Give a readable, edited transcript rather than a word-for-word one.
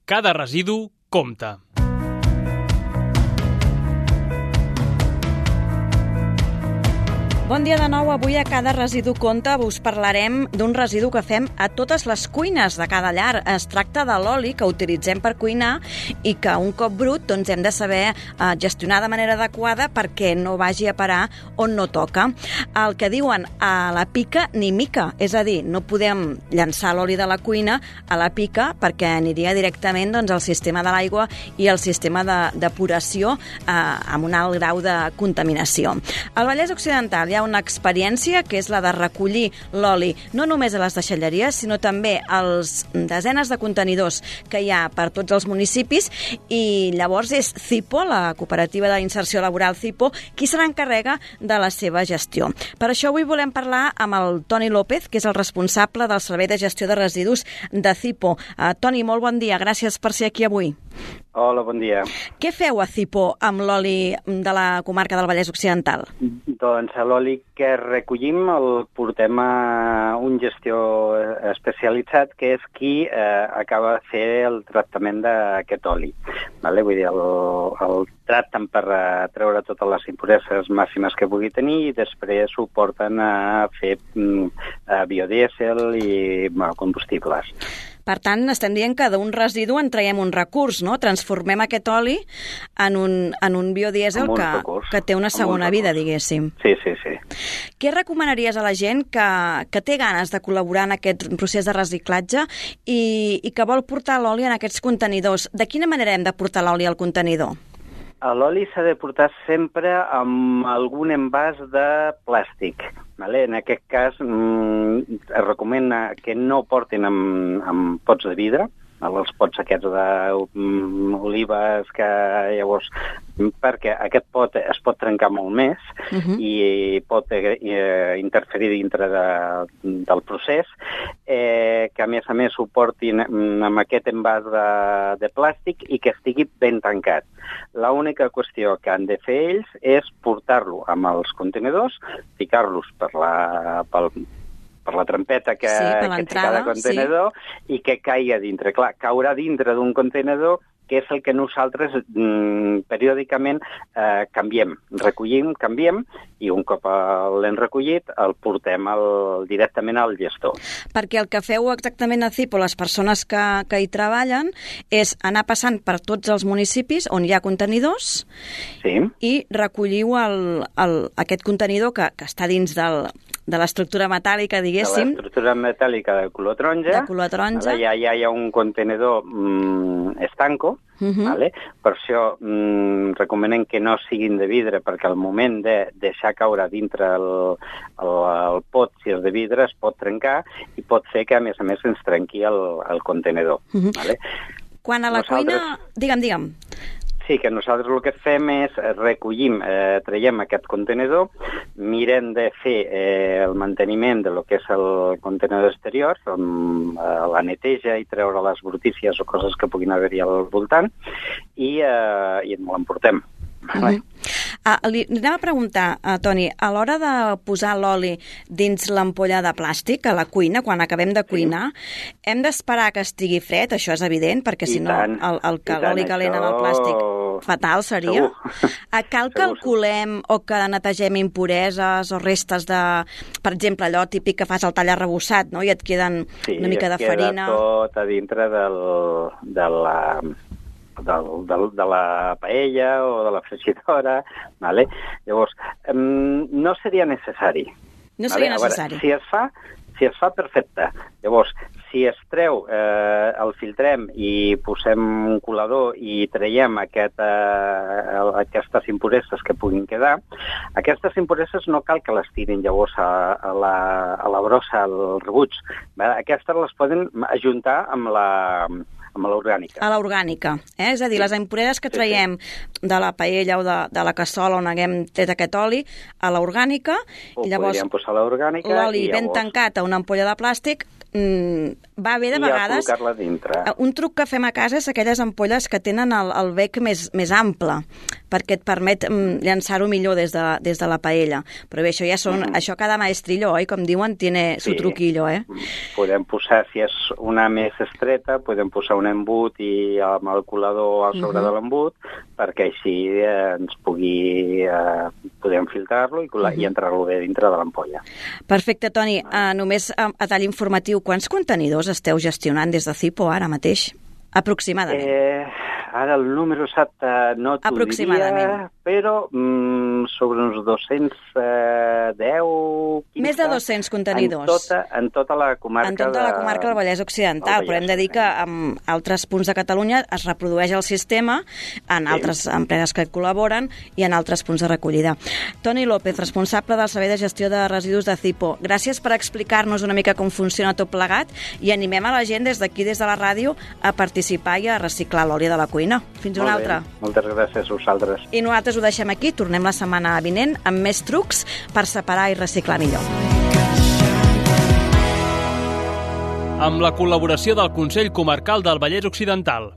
Cada residu compta. Bon dia de nou. Avui a Cada residu compta us parlarem d'un residu que fem a totes les cuines de cada llar. Es tracta de l'oli que utilitzem per cuinar i que un cop brut doncs, hem de saber gestionar de manera adequada perquè no vagi a parar on no toca. El que diuen a la pica ni mica, és a dir, no podem llançar l'oli de la cuina a la pica perquè aniria directament doncs, al sistema de l'aigua i al sistema depuració amb un alt grau de contaminació. Al Vallès Occidental hi ha una experiència que és la de recollir l'oli no només a les deixalleries, sinó també als desenes de contenidors que hi ha per tots els municipis, i llavors és CIPO, la cooperativa d'inserció laboral CIPO, qui se n'encarrega de la seva gestió. Per això avui volem parlar amb el Toni López, que és el responsable del Servei de Gestió de Residus de CIPO. Toni, molt bon dia, gràcies per ser aquí avui. Hola, bon dia. Què feu a CIPO amb l'oli de la comarca del Vallès Occidental? Doncs l'oli que recollim el portem a un gestor especialitzat que és qui acaba de fer el tractament d'aquest oli. Vale? Vull dir, el tracten per treure totes les impureses màximes que pugui tenir i després ho porten a fer biodièsel i combustibles. Per tant, estem dient que d'un residu en traiem un recurs, no? Transformem aquest oli en un biodièsel que té una segona vida, diguéssim. Sí. Què recomanaries a la gent que té ganes de col·laborar en aquest procés de reciclatge i que vol portar l'oli en aquests contenidors? De quina manera hem de portar l'oli al contenidor? L'oli s'ha de portar sempre amb algun envàs de plàstic. Vale? En aquest cas, es recomana que no portin amb pots de vidre, els pots aquests d'olives, que llavors, perquè aquest pot es pot trencar molt més i pot interferir dintre del procés, que a més ho portin amb aquest envàs de plàstic i que estigui ben tancat. L'única qüestió que han de fer ells és portar-lo amb els contenidors, ficar-los per la trampeta que té cada contenidor i que caigui dintre. Clar, caurà dintre d'un contenidor que és el que nosaltres periòdicament recollim, canviem, i un cop l'hem recollit el portem directament al gestor. Perquè el que feu exactament a CIPO, les persones que hi treballen, és anar passant per tots els municipis on hi ha contenidors i recolliu aquest contenidor que està dins de l'estructura metàl·lica, diguéssim. De l'estructura metàl·lica de color taronja. Ja hi ha un contenedor estanco, vale? Per això recomanem que no siguin de vidre, perquè al moment de deixar caure dintre el pot, si és de vidre, es pot trencar i pot fer que, a més, ens trenqui el contenedor. Vale? Quan a la cuina... Digue'm. Sí, que nosaltres el que fem és recollim, traiem aquest contenedor, mirem de fer el manteniment de lo que és el contenidor exterior, la neteja i treure les brutícies o coses que puguin haver-hi al voltant, i l'emportem. Li anem a preguntar, Toni, a l'hora de posar l'oli dins l'ampolla de plàstic a la cuina, quan acabem de cuinar, hem d'esperar que estigui fred, això és evident, perquè si no l'oli calent en el plàstic fatal seria. Cal que el colem o que netegem impureses o restes de, per exemple, allò típic que fas el tall arrebossat, no? I et queden una mica de farina. Sí, queda tot a dintre de la paella o de la fregidora, vale? Llavors, no seria necessari. No seria necessari. Veure, si es fa, perfecte. Llavors, si es treu, el filtrem i posem un colador i traiem aquestes impureses que puguin quedar, aquestes impureses no cal que les tirin llavors a la brossa, al rebuig. Aquestes les poden ajuntar amb l'orgànica. A l'orgànica, És a dir, les impureses que traiem de la paella o de la cassola on haguem tret aquest oli, a l'orgànica, i llavors podríem posar l'orgànica, l'oli ben tancat a una ampolla de plàstic va bé de vegades... I a col·locar-la dintre. Un truc que fem a casa és aquelles ampolles que tenen el bec més ample, perquè et permet llançar-ho millor des de la paella. Però bé, això cada maestrillo, oi? Com diuen, tiene su truquillo, eh? Podem posar, si és una més estreta, podem posar un embut i amb el colador al sobre de l'embut, perquè així podem filtrar-lo i entrar-lo bé dintre de l'ampolla. Perfecte, Toni. Només a tall informatiu, quants contenidors esteu gestionant des de Zipo ara mateix? Aproximadament. Ara el número exacte no t'ho diria, però sobre uns 210, 15... Més de 200 contenidors. En tota la comarca del Vallès Occidental, però hem de dir que en altres punts de Catalunya es reprodueix el sistema, en altres empreses que col·laboren i en altres punts de recollida. Toni López, responsable del Servei de Gestió de Residus de Zipo, gràcies per explicar-nos una mica com funciona tot plegat i animem a la gent des d'aquí, des de la ràdio, a participar i a reciclar l'oli de la cuina. Fins una altra. Moltes gràcies a vosaltres. I nosaltres ho deixem aquí. Tornem la setmana vinent amb més trucs per separar i reciclar millor. Amb la col·laboració del Consell Comarcal del Vallès Occidental.